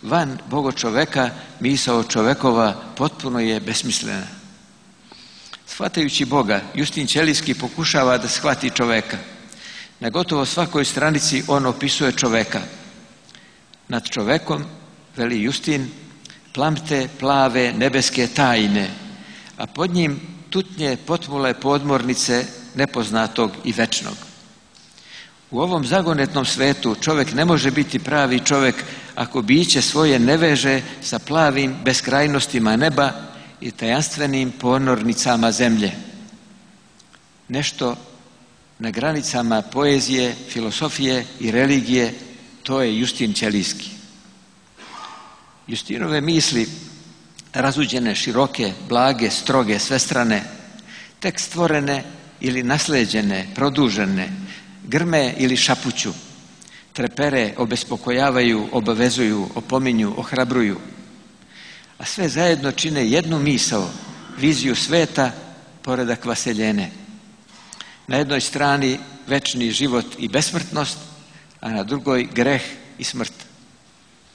Van Bogo čoveka, misao čovekova potpuno je besmislena. Shvatajući Boga, Justin Ćelijski pokušava da shvati čoveka. Na gotovo svakoj stranici on opisuje čoveka. Nad čovekom, veli Justin, plamte plave nebeske tajne, a pod njim tutnje potmule podmornice nepoznatog i večnog. U ovom zagonetnom svetu čovjek ne može biti pravi čovjek ako biće svoje ne veže sa plavim beskrajnostima neba i tajanstvenim ponornicama zemlje. Nešto na granicama poezije, filosofije i religije, to je Justin Ćelijski. Justinove misli, razuđene, široke, blage, stroge, svestrane, tek stvorene ili nasleđene, produžene, grme ili šapuću, trepere, obespokojavaju, obavezuju, opominju, ohrabruju, a sve zajedno čine jednu misao, viziju sveta, poredak vaseljene. Na jednoj strani večni život i besmrtnost, a na drugoj greh i smrt.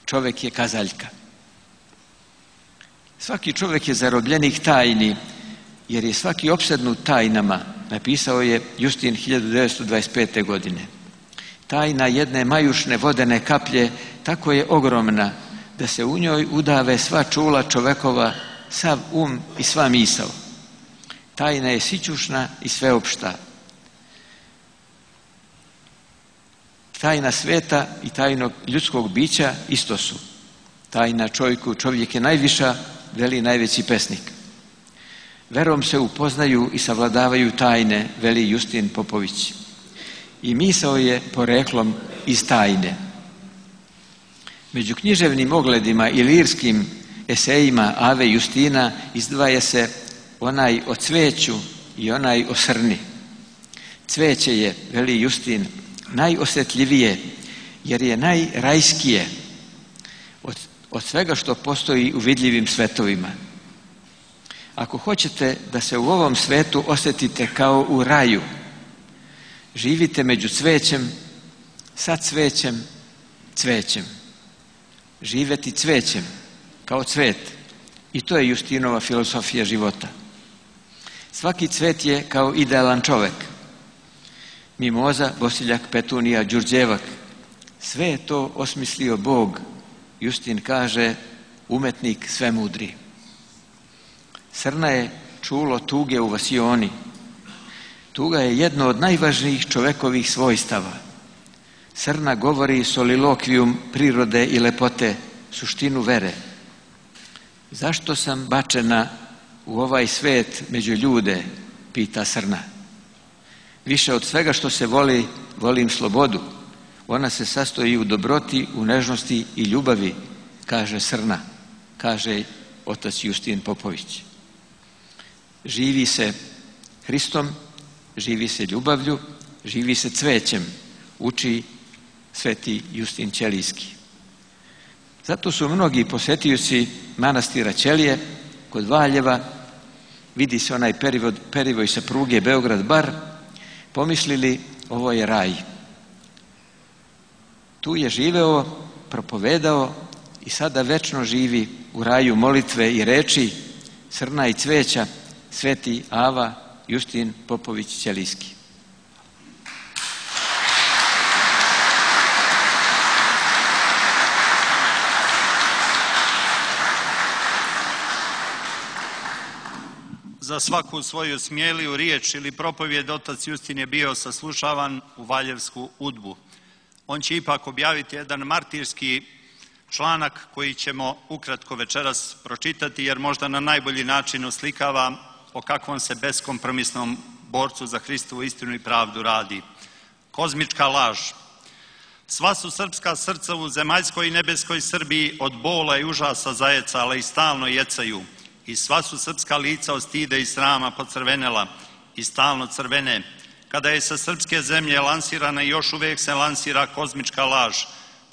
Čovjek je kazaljka. Svaki čovjek je zarobljenik tajni, jer je svaki opsednut tajnama, napisao je Justin hiljadu devetsto dvadeset pete. godine. Tajna jedne majušne vodene kaplje tako je ogromna da se u njoj udave sva čula čovekova, sav um i sva misao. Tajna je sićušna i sveopšta. Tajna sveta i tajnog ljudskog bića isto su. Tajna čovjeku, čovjek je najviša, veli najveći pesnik. Verom se upoznaju i savladavaju tajne, veli Justin Popović. I misao je poreklom iz tajne. Među književnim ogledima i lirskim esejima Ave Justina izdvaja se onaj o cveću i onaj o srni. Cveće je, veli Justin, najosjetljivije, jer je najrajskije od, od svega što postoji u vidljivim svetovima. Ako hoćete da se u ovom svetu osjetite kao u raju, živite među cvećem, sa cvećem, cvećem. Živeti cvećem, kao cvet. I to je Justinova filosofija života. Svaki cvet je kao idealan čovjek. Mimoza, Bosiljak, Petunija, Đurđevak. Sve je to osmislio Bog. Justin kaže, umetnik svemudri. Srna je čulo tuge u vasioni. Tuga je jedno od najvažnijih čovekovih svojstava. Srna govori solilokvijum prirode i lepote, suštinu vere. Zašto sam bačena u ovaj svet među ljude, pita srna. Više od svega što se voli, volim slobodu. Ona se sastoji u dobroti, u nežnosti i ljubavi, kaže srna, kaže otac Justin Popović. Živi se Hristom, živi se ljubavlju, živi se cvećem, uči sveti Justin Ćelijski. Zato su mnogi posetioci manastira Ćelije kod Valjeva, vidi se onaj perivoj, perivoj sa pruge Beograd-Bar, pomislili ovo je raj. Tu je živeo, propovedao i sada večno živi u raju molitve i reči, srna i cveća, sveti Ava Justin Popović Ćelijski. Za svaku svoju smjeliju riječ ili propovjed otac Justin je bio saslušavan u Valjevsku udbu. On će ipak objaviti jedan martirski članak koji ćemo ukratko večeras pročitati, jer možda na najbolji način oslikava o kakvom se beskompromisnom borcu za Hristovu istinu i pravdu radi. Kozmička laž. Sva su srpska srca u zemaljskoj i nebeskoj Srbiji od bola i užasa zajecala i stalno jecaju. I sva su srpska lica od stida i srama pocrvenela i stalno crvene. Kada je sa srpske zemlje lansirana i još uvijek se lansira kozmička laž,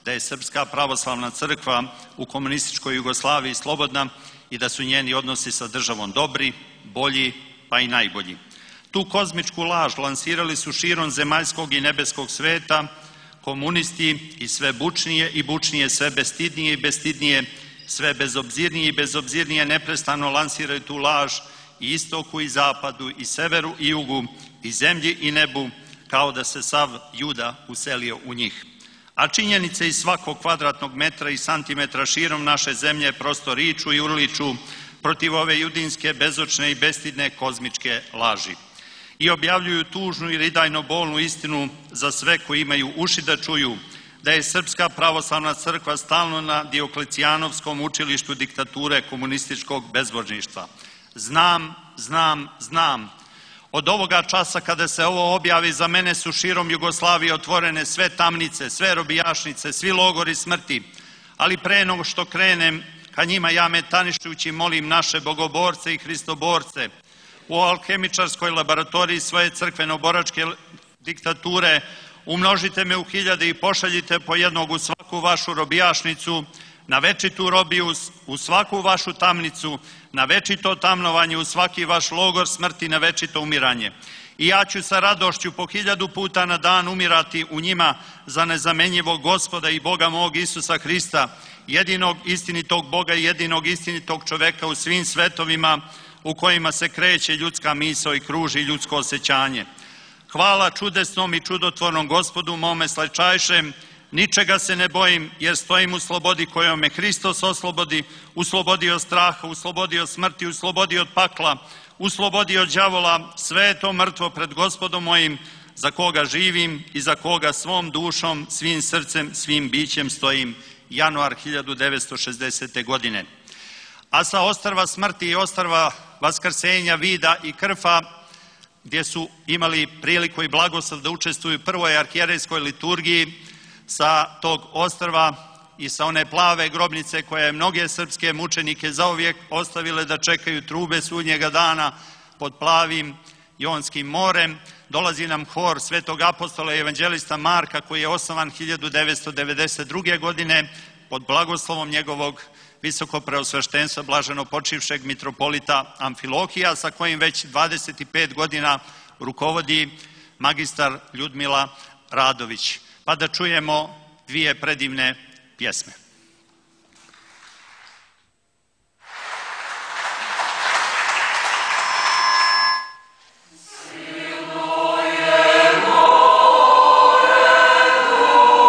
da je Srpska pravoslavna crkva u komunističkoj Jugoslaviji slobodna i da su njeni odnosi sa državom dobri, bolji, pa i najbolji. Tu kozmičku laž lansirali su širom zemaljskog i nebeskog sveta komunisti i sve bučnije i bučnije, sve bestidnije i bestidnije, sve bezobzirnije i bezobzirnije neprestano lansiraju tu laž i istoku i zapadu i severu i jugu i zemlji i nebu, kao da se sav Juda uselio u njih. A činjenice iz svakog kvadratnog metra i santimetra širom naše zemlje prosto riču i urliču protiv ove judinske, bezočne i bestidne kozmičke laži. I objavljuju tužnu i ridajno bolnu istinu za sve koji imaju uši da čuju, da je Srpska pravoslavna crkva stalno na Dioklecijanovskom učilištu diktature komunističkog bezbožništva. Znam, znam, znam. Od ovoga časa kada se ovo objavi, za mene su širom Jugoslavije otvorene sve tamnice, sve robijašnice, svi logori smrti. Ali pre nego što krenem ka njima, ja metanišući molim naše bogoborce i hristoborce u alhemičarskoj laboratoriji svoje crkveno-boračke diktature, umnožite me u hiljade i pošaljite po jednog u svaku vašu robijašnicu, na večitu robiju, u svaku vašu tamnicu, na večito tamnovanje, u svaki vaš logor smrti, na večito umiranje. I ja ću sa radošću po hiljadu puta na dan umirati u njima za nezamenjivog Gospoda i Boga mog Isusa Hrista, jedinog istinitog Boga i jedinog istinitog čoveka u svim svetovima u kojima se kreće ljudska misao i kruži ljudsko osjećanje. Hvala čudesnom i čudotvornom Gospodu mome slačajšem, ničega se ne bojim, jer stojim u slobodi kojom me Hristos oslobodi, u slobodi od straha, u slobodi od smrti, u slobodi od pakla, u slobodi od đavola, sve je to mrtvo pred Gospodom mojim, za koga živim i za koga svom dušom, svim srcem, svim bićem stojim. Januar hiljadu devetsto šezdesete. godine. A sa ostrva smrti i ostrva vaskrsenja, vida i krfa, gdje su imali priliku i blagoslov da učestvuju u prvoj arhijerejskoj liturgiji, sa tog ostrva i sa one plave grobnice koja je mnoge srpske mučenike zauvijek ostavile da čekaju trube sudnjega dana pod plavim Jonskim morem, dolazi nam hor svetog apostola i evanđelista Marka, koji je osnovan hiljadu devetsto devedeset druge. godine pod blagoslovom njegovog visoko preosveštenstva blaženo počivšeg mitropolita Amfilohija, sa kojim već dvadeset pet godina rukovodi magistar Ljudmila Radović. Pa da čujemo dvije predivne pjesme. Silno je more dugo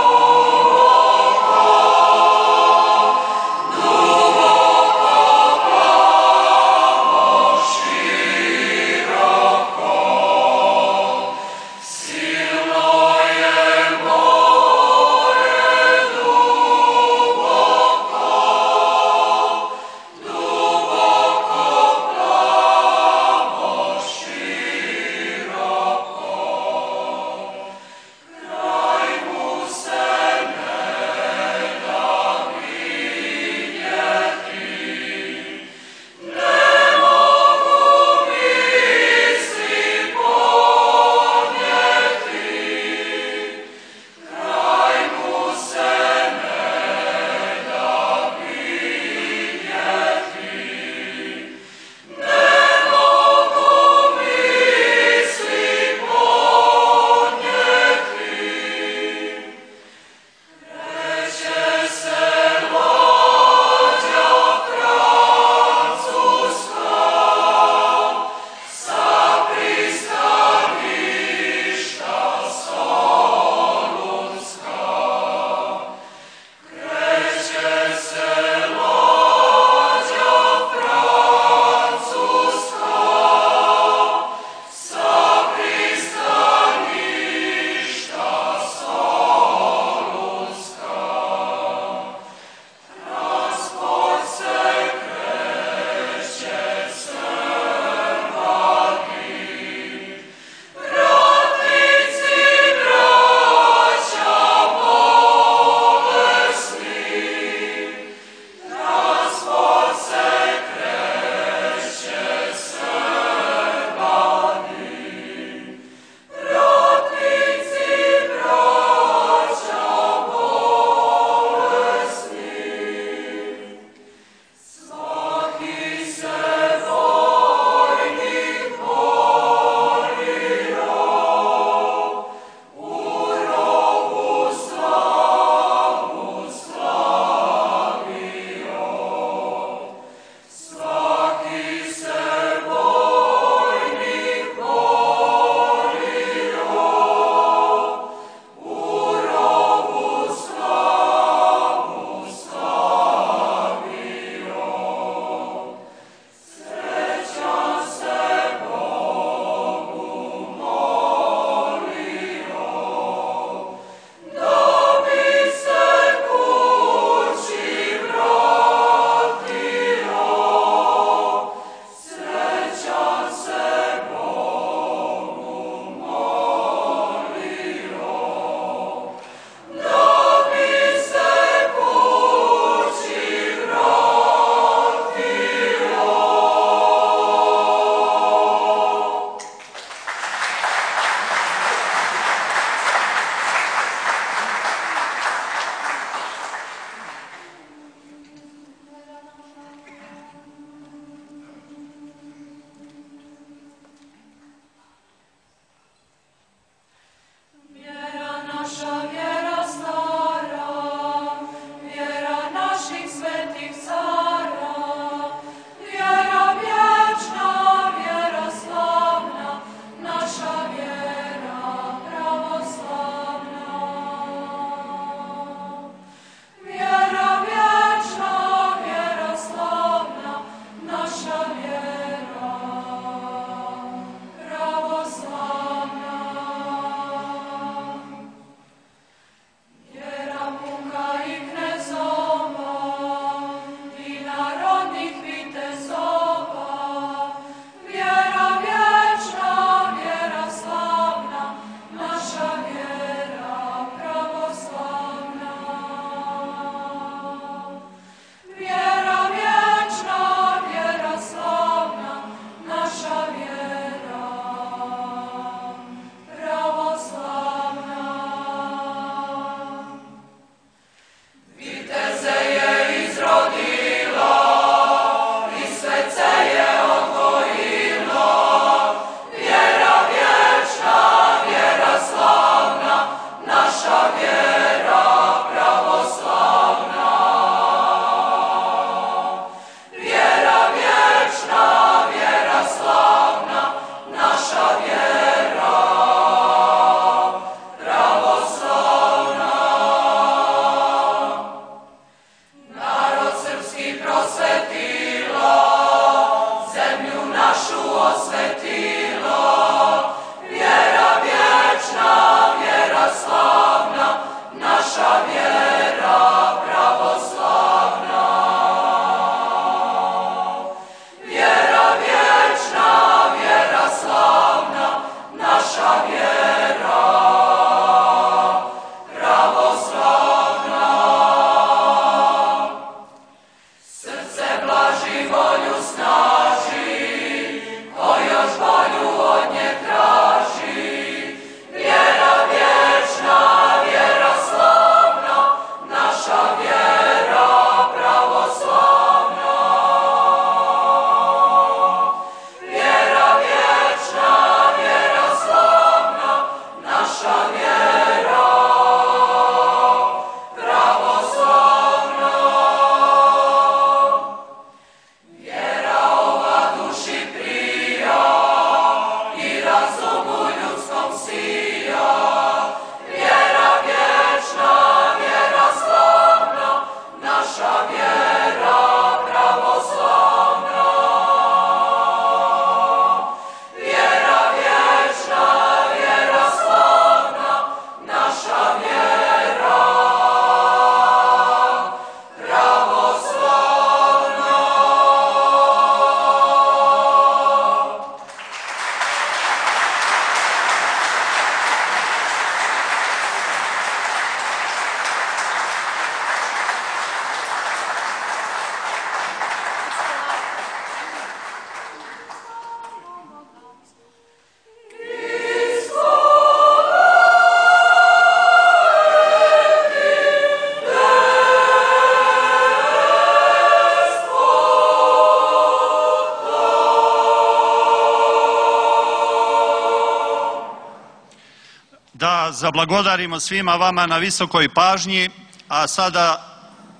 da zablagodarimo svima vama na visokoj pažnji, a sada,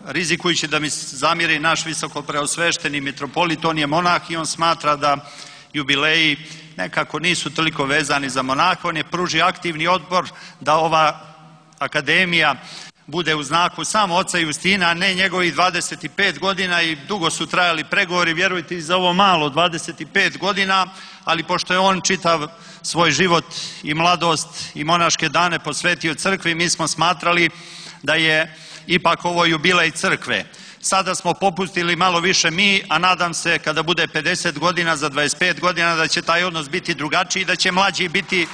rizikujući da mi zamiri naš visoko preosvešteni mitropolit, on je monah i on smatra da jubileji nekako nisu toliko vezani za monaha, on je pružio aktivni odbor da ova akademija bude u znaku samo oca Justina, a ne njegovih dvadeset pet godina, i dugo su trajali pregovori, vjerujte, i za ovo malo dvadeset pet godina, ali pošto je on čitav svoj život i mladost i monaške dane posvetio crkvi, mi smo smatrali da je ipak ovo jubilej crkve. Sada smo popustili malo više mi, a nadam se kada bude pedeset godina, za dvadeset pet godina, da će taj odnos biti drugačiji, da će mlađi biti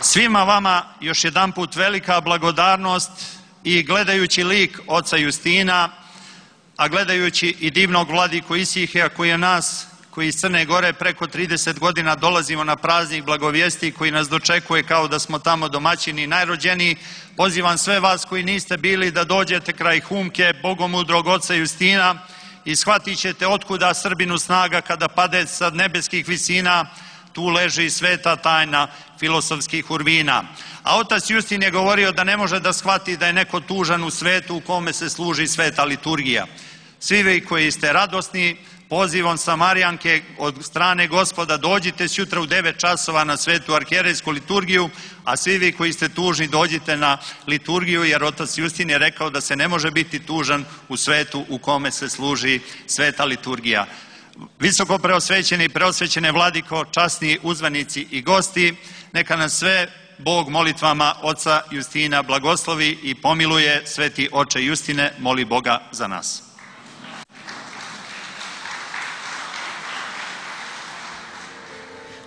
svima vama još jedanput velika blagodarnost i gledajući lik oca Justina, a gledajući i divnog vladiku Isihija koji je nas, koji iz Crne Gore preko trideset godina dolazimo na praznik blagovijesti, koji nas dočekuje kao da smo tamo domaćini najrođeniji, pozivam sve vas koji niste bili da dođete kraj Humke, bogomudrog oca Justina, i shvatit ćete otkuda Srbinu snaga kada pade sa nebeskih visina. Tu leži sveta tajna filosofskih urvina. A otac Justin je govorio da ne može da shvati da je neko tužan u svetu u kome se služi sveta liturgija. Svi vi koji ste radosni, pozivom Samarijanke od strane Gospoda, dođite sjutra u devet časova na svetu arhijerejsku liturgiju, a svi vi koji ste tužni, dođite na liturgiju, jer otac Justin je rekao da se ne može biti tužan u svetu u kome se služi sveta liturgija. Visoko preosvećeni i preosvećene vladiko, časni uzvanici i gosti, neka nas sve Bog molitvama oca Justina blagoslovi i pomiluje. Sveti oče Justine, moli Boga za nas.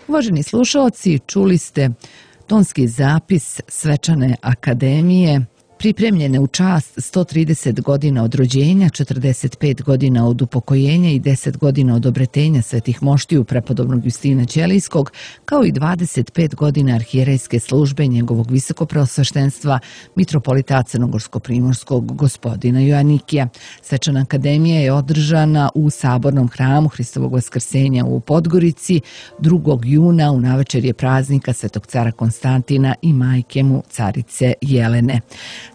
Uvaženi slušaoci, čuli ste tonski zapis Svečane akademije pripremljene u čast sto trideset godina od rođenja, četrdeset pet godina od upokojenja i deset godina od obretenja svetih moštiju prepodobnog Justina Ćelijskog, kao i dvadeset pet godina arhijerejske službe njegovog visokopreosveštenstva mitropolita crnogorsko-primorskog gospodina Joanikija. Svečana akademija je održana u Sabornom hramu Hristovog vaskrsenja u Podgorici drugog juna u navečerje praznika Svetog cara Konstantina i majke mu carice Jelene.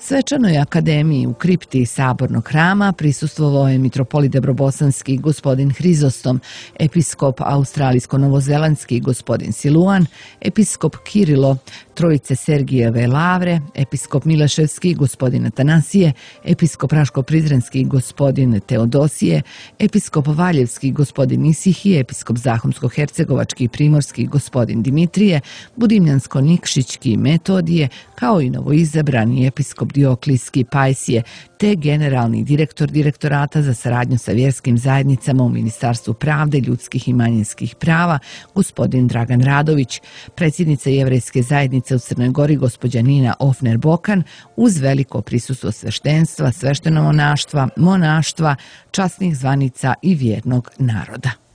Svečanoj akademiji u kripti Sabornog hrama prisustvovao je mitropolit debrobosanski gospodin Hrizostom, episkop australijsko-novozelandski gospodin Siluan, episkop Kirilo Trojice Sergijeve Lavre, episkop Mileševski gospodin Atanasije, episkop Raško-Prizrenski gospodin Teodosije, episkop Valjevski gospodin Isihije, episkop Zahumsko-Hercegovački i Primorski gospodin Dimitrije, Budimljansko-Nikšićki Metodije, kao i novoizabrani episkop Dioklijski Pajsije, te generalni direktor Direktorata za saradnju sa vjerskim zajednicama u Ministarstvu pravde, ljudskih i manjinskih prava, gospodin Dragan Radović, predsjednica Jevrejske zajednice u Crnoj Gori, gospođa Nina Ofner-Bokan, uz veliko prisustvo sveštenstva, sveštenomonaštva, monaštva, časnih zvanica i vjernog naroda.